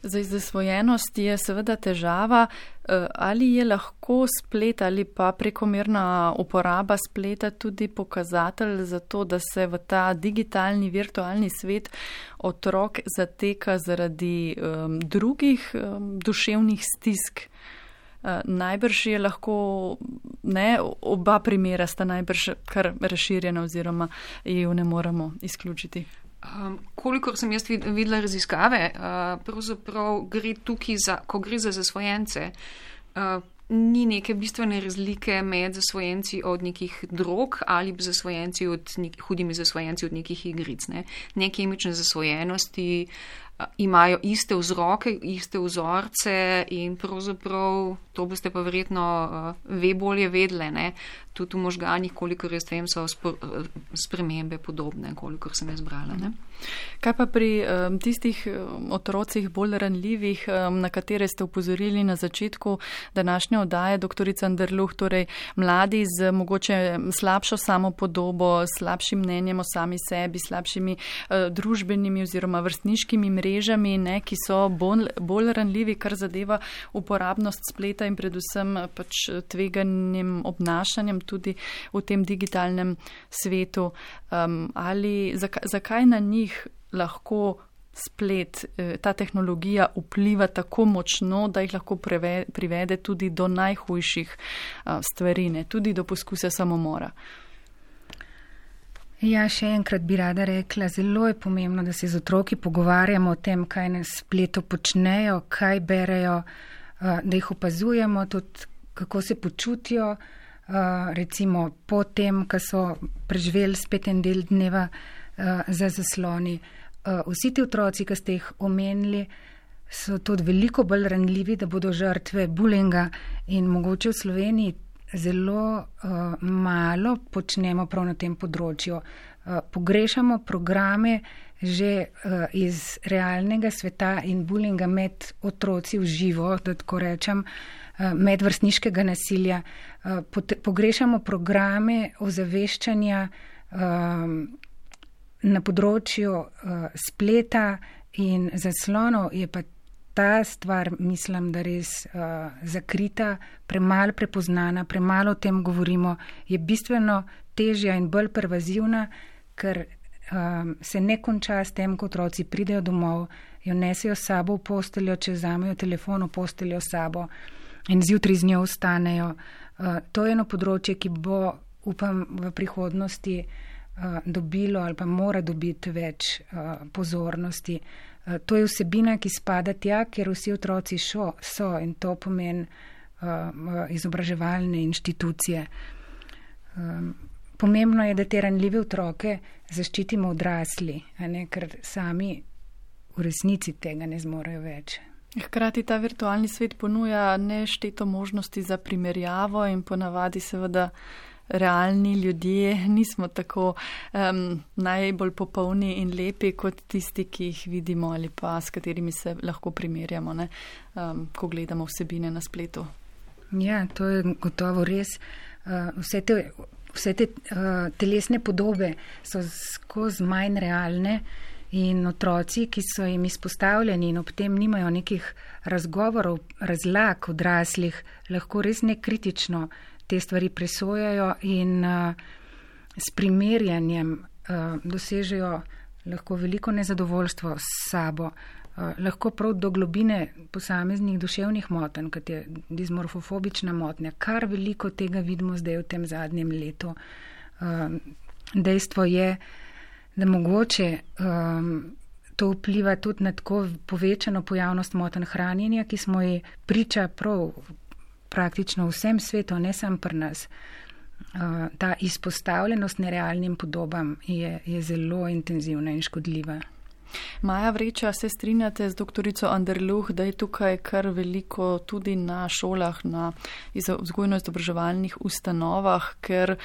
Zdaj, zasvojenost je seveda težava, ali je lahko splet ali pa prekomerna uporaba spleta tudi pokazatelj za to, da se v ta digitalni, virtualni svet otrok zateka zaradi drugih duševnih stisk. Najbrž je lahko, oba primera sta najbrž kar razširjena oziroma jo ne moremo izključiti. Kolikor sem jaz videla raziskave, pravzaprav gre tukaj ko gre za zasvojence, ni neke bistvene razlike med zasvojenci od nekih drog ali hudimi zasvojenci od nekih igric. Neke imične zasvojenosti imajo iste vzroke, iste vzorce in pravzaprav to boste pa verjetno bolje vedle, ne? Tudi v možganih, kolikor jaz vem, so spremembe podobne, kolikor sem jaz brala. Ne? Kaj pa pri tistih otrocih bolj ranljivih, na katere ste upozorili na začetku današnje oddaje, doktorica Anderluh, torej mladi z mogoče slabšo samopodobo, slabšim mnenjem o sami sebi, slabšimi družbenimi oziroma vrstniškimi mrežami, ne, ki so bolj ranljivi, kar zadeva uporabnost spleta in predvsem pač tveganim obnašanjem tudi v tem digitalnem svetu. Ali zakaj na njih lahko splet, ta tehnologija vpliva tako močno, da jih lahko privede tudi do najhujših stvari, ne, tudi do poskusa samomora? Ja, še enkrat bi rada rekla, zelo je pomembno, da se z otroki pogovarjamo o tem, kaj na spletu počnejo, kaj berejo, da jih opazujemo, tudi kako se počutijo, recimo po tem, ko so preživeli spet en del dneva za zasloni. Vsi ti otroci, ki ste jih omenili, so tudi veliko bolj ranljivi, da bodo žrtve bulinga in mogoče v Sloveniji zelo malo počnemo prav na tem področju. Pogrešamo programe že iz realnega sveta in bulinga med otroci v živo, da tako rečem, medvrstniškega nasilja. Pogrešamo programe ozaveščanja na področju spleta in zaslonov. Je pa ta stvar, mislim, da res zakrita, premalo prepoznana, premalo o tem govorimo, je bistveno težja in bolj pervazivna, ker se ne konča s tem, ko otroci pridejo domov, jo nesejo s sabo v posteljo, če vzamejo telefon v posteljo s sabo in zjutraj z njo ostanejo. To je eno področje, ki bo, upam, v prihodnosti dobilo ali pa mora dobiti več pozornosti. To je vsebina, ki spada tja, kjer vsi otroci so in to pomeni izobraževalne inštitucije. Pomembno je, da te ranljive otroke zaščitimo odrasli, ker sami v resnici tega ne zmorejo več. Hkrati ta virtualni svet ponuja nešteto možnosti za primerjavo in ponavadi seveda realni ljudje nismo tako najbolj popolni in lepi kot tisti, ki jih vidimo ali pa s katerimi se lahko primerjamo, ko gledamo vsebine na spletu. Ja, to je gotovo res. Vse te telesne podobe so skozi manj realne in otroci, ki so jim izpostavljeni in ob tem nimajo nekih razgovorov, razlag odraslih, lahko res nekritično te stvari presojajo in s primerjanjem dosežejo lahko veliko nezadovoljstvo s sabo, lahko prav do globine posameznih duševnih motenj, kot je dismorfofobična motnja. Kar veliko tega vidimo zdaj v tem zadnjem letu. Dejstvo je, da mogoče to vpliva tudi na tako povečano pojavnost motenj hranjenja, ki smo ji priča prav praktično v vsem svetu, ne samo pri nas. Ta izpostavljenost nerealnim podobam je zelo intenzivna in škodljiva. Maja Vreča, se strinjate z doktorico Anderluh, da je tukaj kar veliko tudi na šolah, na vzgojno-izobraževalnih ustanovah, ker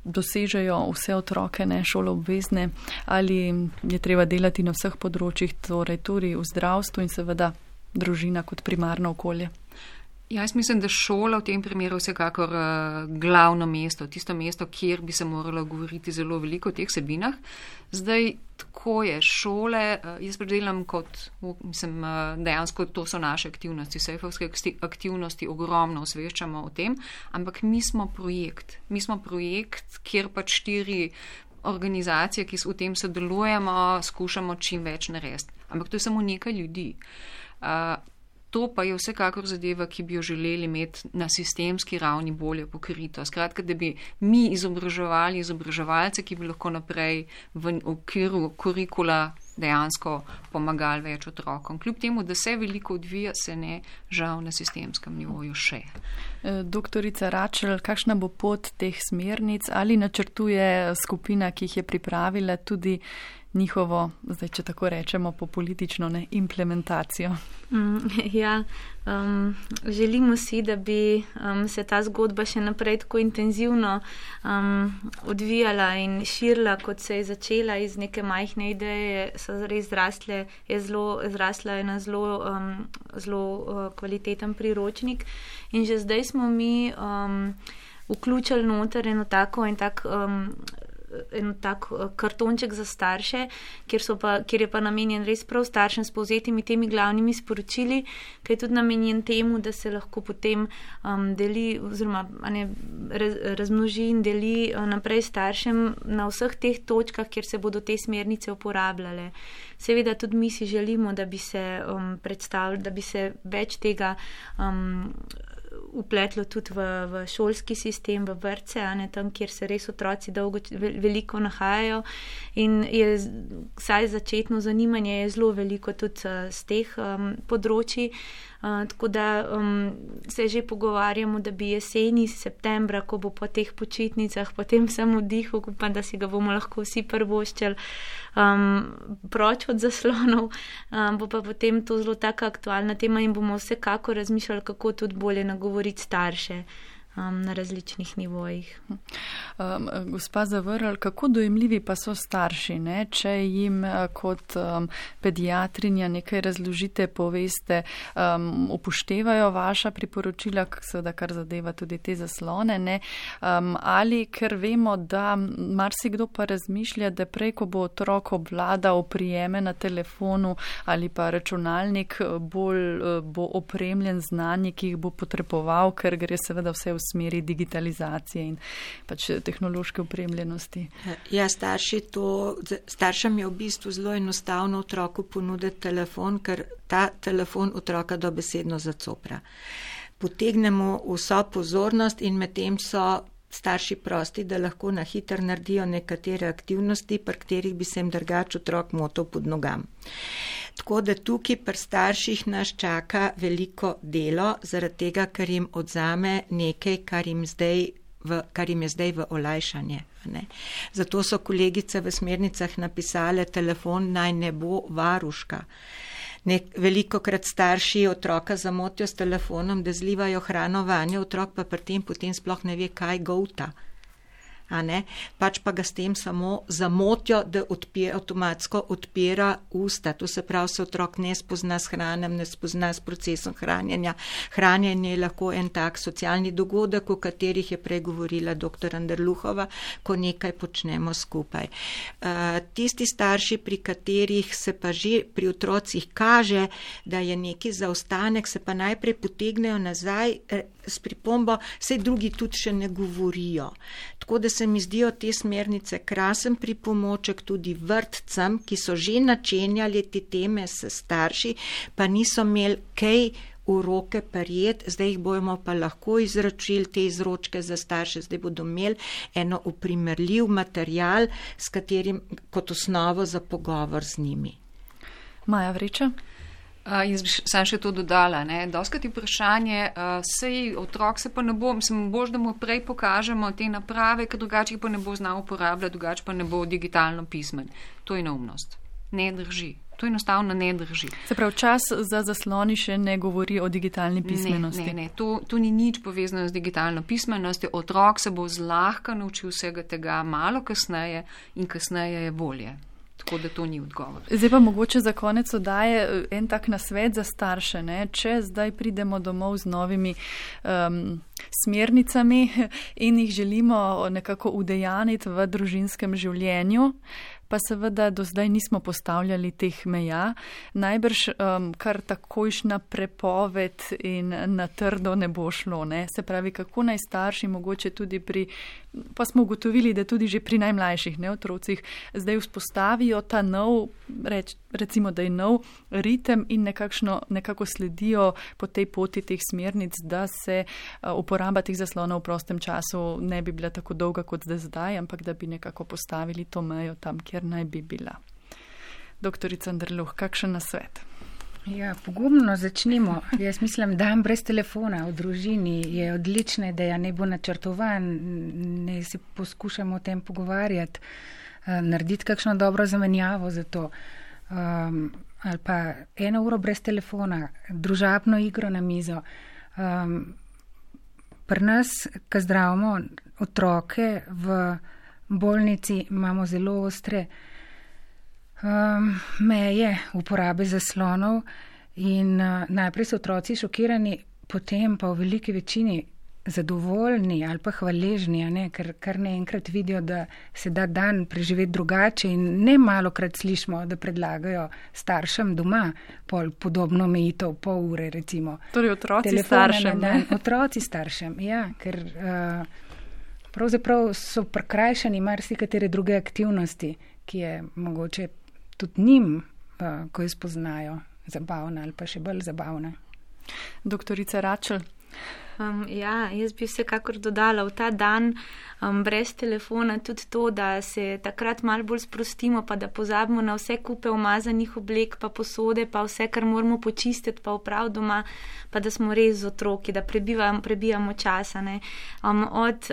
dosežejo vse otroke, ne šoloobvezne, ali je treba delati na vseh področjih, torej tudi v zdravstvu in seveda družina kot primarno okolje? Jaz mislim, da šola v tem primeru vsekakor glavno mesto, tisto mesto, kjer bi se moralo govoriti zelo veliko o teh vsebinah. Zdaj, tako je, šole, jaz predelam kot, mislim, dejansko to so naše aktivnosti, sejfovske aktivnosti, ogromno osveščamo o tem, ampak mi smo projekt, kjer pač 4 organizacije, ki v tem sodelujemo, skušamo čim več narediti. Ampak to je samo nekaj ljudi. To pa je vsekakor zadeva, ki bi jo želeli imeti na sistemski ravni bolje pokrito. Skratka, da bi mi izobraževali izobraževalce, ki bi lahko naprej v okviru kurikula dejansko pomagali več otrokom. Kljub temu, da se veliko odvija, se ne žal na sistemskem nivoju še. Doktorica Račelj, kakšna bo pot teh smernic? Ali načrtuje skupina, ki jih je pripravila, tudi njihovo, zdaj če tako rečemo, po politično implementacijo? Ja, želimo si, da bi se ta zgodba še naprej tako intenzivno odvijala in širila, kot se je začela iz neke majhne ideje, so res zrasla ena zelo kvaliteten priročnik in že zdaj smo mi vključili noter en tak kartonček za starše, kjer je pa namenjen res prav staršem s povzetimi temi glavnimi sporočili, ki je tudi namenjen temu, da se lahko potem deli oziroma razmnoži in deli naprej staršem na vseh teh točkah, kjer se bodo te smernice uporabljale. Seveda tudi mi si želimo, da bi se predstavili, da bi se več tega upletlo tudi v šolski sistem, v vrtce, tam, kjer se res otroci veliko nahajajo in je vsaj začetno zanimanje je zelo veliko tudi z teh področji. Tako da se že pogovarjamo, da bi jeseni, septembra, ko bo po teh počitnicah, po tem vsem vdihu, upam, da si ga bomo lahko vsi prvoščali proč od zaslonov, bo pa potem to zelo taka aktualna tema in bomo vsekako razmišljali, kako tudi bolje nagovoriti starše. na različnih nivojih. Gospa Zavrl, kako dojemljivi pa so starši, ne? Če jim kot pediatrinja nekaj razložite, poveste, upoštevajo vaša priporočila, seveda kar zadeva tudi te zaslone, ne? Ali ker vemo, da marsikdo pa razmišlja, da prej, ko bo otrok obvladal prijeme na telefonu ali pa računalnik, bolj bo opremljen znanje, ki jih bo potreboval, ker gre seveda vse v smeri digitalizacije in pač tehnološke opremljenosti. Ja, staršem je v bistvu zelo enostavno otroku ponuditi telefon, ker ta telefon otroka dobesedno zacopra. Potegnemo vso pozornost in medtem so starši prosti, da lahko na hitro naredijo nekatere aktivnosti, pri katerih bi se jim drugače otrok motal pod nogam. Tako da tukaj pri starših nas čaka veliko delo, zaradi tega, ker jim odzame nekaj, kar jim je zdaj v olajšanje. Ne? Zato so kolegice v smernicah napisale, telefon naj ne bo varuška. Veliko krat starši otroka zamotijo s telefonom, da zlivajo hrano vanje, otrok pa pri tem potem sploh ne ve, kaj golta. Pač pa ga s tem samo zamotijo, da avtomatsko odpira usta. To se pravi, se otrok ne spozna s hranjem, ne spozna s procesom hranjenja. Hranjenje je lahko en tak socialni dogodek, o katerih je prej govorila dr. Anderluhova, ko nekaj počnemo skupaj. Tisti starši, pri katerih se pa že pri otrocih kaže, da je neki zaostanek, se pa najprej potegnejo nazaj s pripombo, saj drugi tudi še ne govorijo. Tako da se mi zdijo te smernice krasen pripomoček tudi vrtcem, ki so že načenjali te teme s starši, pa niso imeli kaj v roke prijeti, zdaj jih bomo pa lahko izročili te izročke za starše, zdaj bodo imeli eno uprimerljiv material, s katerim kot osnovo za pogovor z njimi. Maja Vreča? Jaz bi sam še to dodala. Doskrat je vprašanje, sej otrok se pa ne bo, mislim, bož, da mu prej pokažemo te naprave, ker drugače pa ne bo znal uporabljati, drugače pa ne bo digitalno pismen. To je neumnost. Ne drži. To enostavno ne drži. Se pravi, čas za zasloni še ne govori o digitalni pismenosti. Ne. To ni nič povezano z digitalno pismenostjo. Otrok se bo zlahka naučil vsega tega malo kasneje in kasneje je bolje. Tako da to ni odgovor. Zdaj pa mogoče za konec oddaje en tak nasvet za starše. Če zdaj pridemo domov z novimi smernicami in jih želimo nekako udejaniti v družinskem življenju, pa seveda do zdaj nismo postavljali teh meja, najbrž kar takojšna prepoved in na trdo ne bo šlo. Se pravi, kako naj starši mogoče tudi pa smo ugotovili, da tudi že pri najmlajših otrocih zdaj vzpostavijo ta nov, recimo, da je nov ritem in nekako sledijo po tej poti teh smernic, da se uporaba teh zaslonov v prostem času ne bi bila tako dolga kot zdaj, ampak da bi nekako postavili to mejo tam, kjer naj bi bila. Doktorica Anderluh, kakšen nasvet? Ja, pogumno začnimo. Jaz mislim, dan brez telefona v družini je odlična ideja, ne bo načrtovan, ne si poskušamo o tem pogovarjati, narediti kakšno dobro zamenjavo za to. Ali pa 1 uro brez telefona, družabno igro na mizo. Pri nas, ko zdravimo otroke v bolnici, imamo zelo ostre meje uporabe zaslonov in najprej so otroci šokirani, potem pa v veliki večini zadovoljni ali pa hvaležni, ker kar naenkrat vidijo, da se da dan preživeti drugače in ne malokrat slišimo, da predlagajo staršem doma podobno omejitev, pol ure recimo. Torej otroci staršem. Otroci staršem, ja, ker pravzaprav so prikrajšani marsikatere druge aktivnosti, ki je mogoče tudi njim, ko jih spoznajo, zabavna ali pa še bolj zabavna. Doktorica Račel. Jaz bi vsekakor dodala v ta dan brez telefona tudi to, da se takrat malo bolj sprostimo, pa da pozabimo na vse kupe umazanih oblek, pa posode, pa vse, kar moramo počistiti, pa oprav doma, pa da smo res z otroki, da prebijamo časa. Od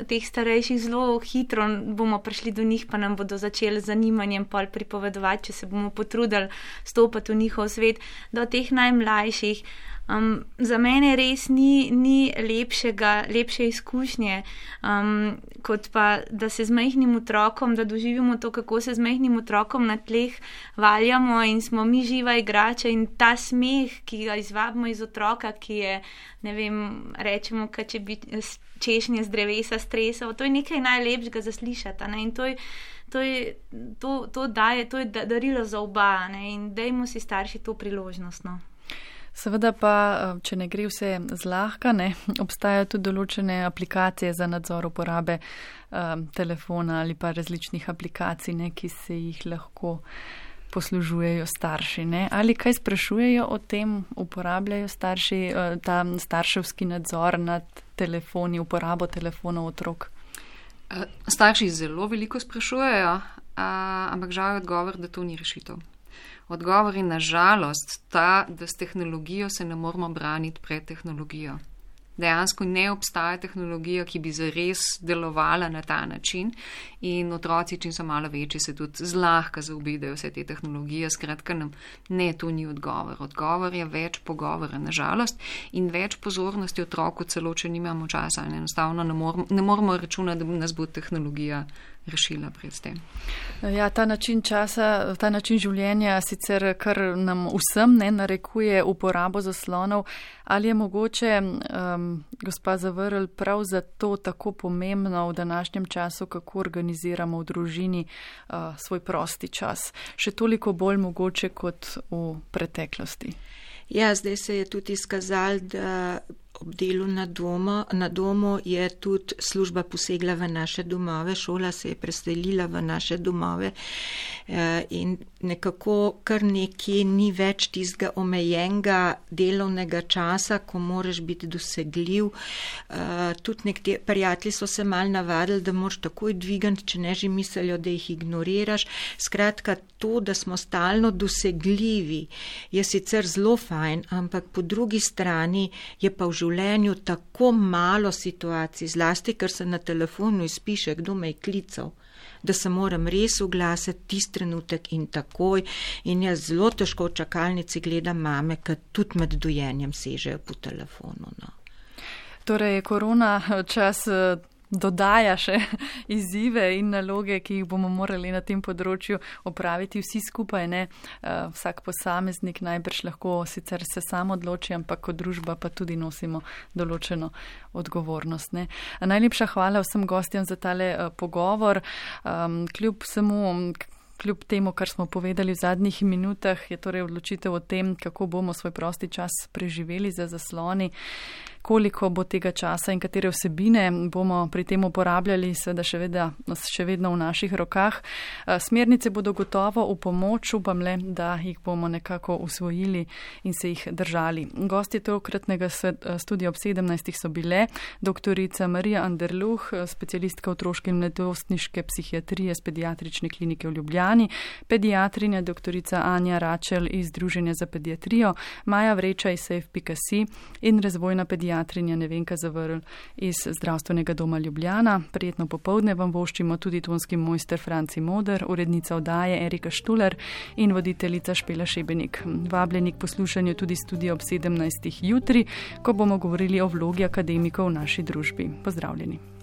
teh starejših zelo hitro bomo prišli do njih, pa nam bodo začeli z zanimanjem pol pripovedovati, če se bomo potrudili stopati v njihov svet, do teh najmlajših. Za mene res ni lepše izkušnje, kot pa, da se z majhnim otrokom, da doživimo to, kako se z majhnim otrokom na tleh valjamo in smo mi živa igrača in ta smeh, ki ga izvabimo iz otroka, ki je, ne vem, rečemo, kad če bi češnje z drevesa stresal, to je nekaj najlepšega zaslišati, ne, in to je darilo za oba, ne, in dajmo si starši to priložnost, no. Seveda pa, če ne gre vse zlahka, ne, obstajajo tudi določene aplikacije za nadzor uporabe telefona ali pa različnih aplikacij, ne, ki se jih lahko poslužujejo starši. Ne. Ali kaj sprašujejo o tem, uporabljajo starši ta starševski nadzor nad telefoni, uporabo telefonov otrok? Starši zelo veliko sprašujejo, ampak žal je odgovor, da to ni rešitev. Odgovor je na žalost ta, da s tehnologijo se ne moramo braniti pred tehnologijo. Dejansko ne obstaja tehnologija, ki bi zares delovala na ta način in otroci, čim so malo večji, se tudi zlahka zaobidejo vse te tehnologije. Skratka, ne, to ni odgovor. Odgovor je več pogovora, na žalost, in več pozornosti otroku, celo če nimamo časa. Enostavno ne moramo računati, da nas bo tehnologija rešila pred tem. Ja, ta način časa, ta način življenja sicer kar nam vsem ne narekuje uporabo zaslonov. Ali je mogoče, gospa Zavrl, prav zato tako pomembno v današnjem času, kako organiziramo v družini svoj prosti čas? Še toliko bolj mogoče kot v preteklosti. Ja, zdaj se je tudi izkazalo, da ob delu na domu je tudi služba posegla v naše domove, šola se je preselila v naše domove in nekako kar nekje ni več tistega omejenega delovnega časa, ko moraš biti dosegljiv. Tudi nekateri prijatelji so se mal navadili, da moraš takoj dvigati, če ne že mislijo, da jih ignoriraš. Skratka, to, da smo stalno dosegljivi, je sicer zelo fajn, ampak po drugi strani je pa v življenju tako malo situacij, zlasti, ker se na telefonu izpiše, kdo me je klical, da se moram res oglasiti tisti trenutek in takoj. In jaz zelo težko v čakalnici gledam mame, ki tudi med dojenjem sežejo po telefonu. No. Torej, korona čas dodaja še izzive in naloge, ki jih bomo morali na tem področju opraviti vsi skupaj. Ne? Vsak posameznik najbrž lahko sicer se sam odloči, ampak kot družba pa tudi nosimo določeno odgovornost. Ne? Najlepša hvala vsem gostjem za tale pogovor. Kljub temu, kar smo povedali v zadnjih minutah, je torej odločitev o tem, kako bomo svoj prosti čas preživeli za zasloni, koliko bo tega časa in katere vsebine bomo pri tem uporabljali, seveda še vedno v naših rokah. Smernice bodo gotovo v pomoč, upam le, da jih bomo nekako usvojili in se jih držali. Gostje tokratnega studia ob 17. so bile doktorica Marija Anderluh, specialistka otroške in mladostniške psihiatrije z pediatrične klinike v Ljubljani, pediatrinja doktorica Anja Račel iz Združenja za pediatrijo, Maja Vreča iz Safe.si in razvojna pediatrinja Nevenka Zavrl iz Zdravstvenega doma Ljubljana. Prijetno popoldne vam voščimo tudi tonski mojster Franci Moder, urednica oddaje Erika Štuler in voditeljica Špela Šebenik. Vabljeni k poslušanju tudi studia ob 17. jutri, ko bomo govorili o vlogi akademikov v naši družbi. Pozdravljeni.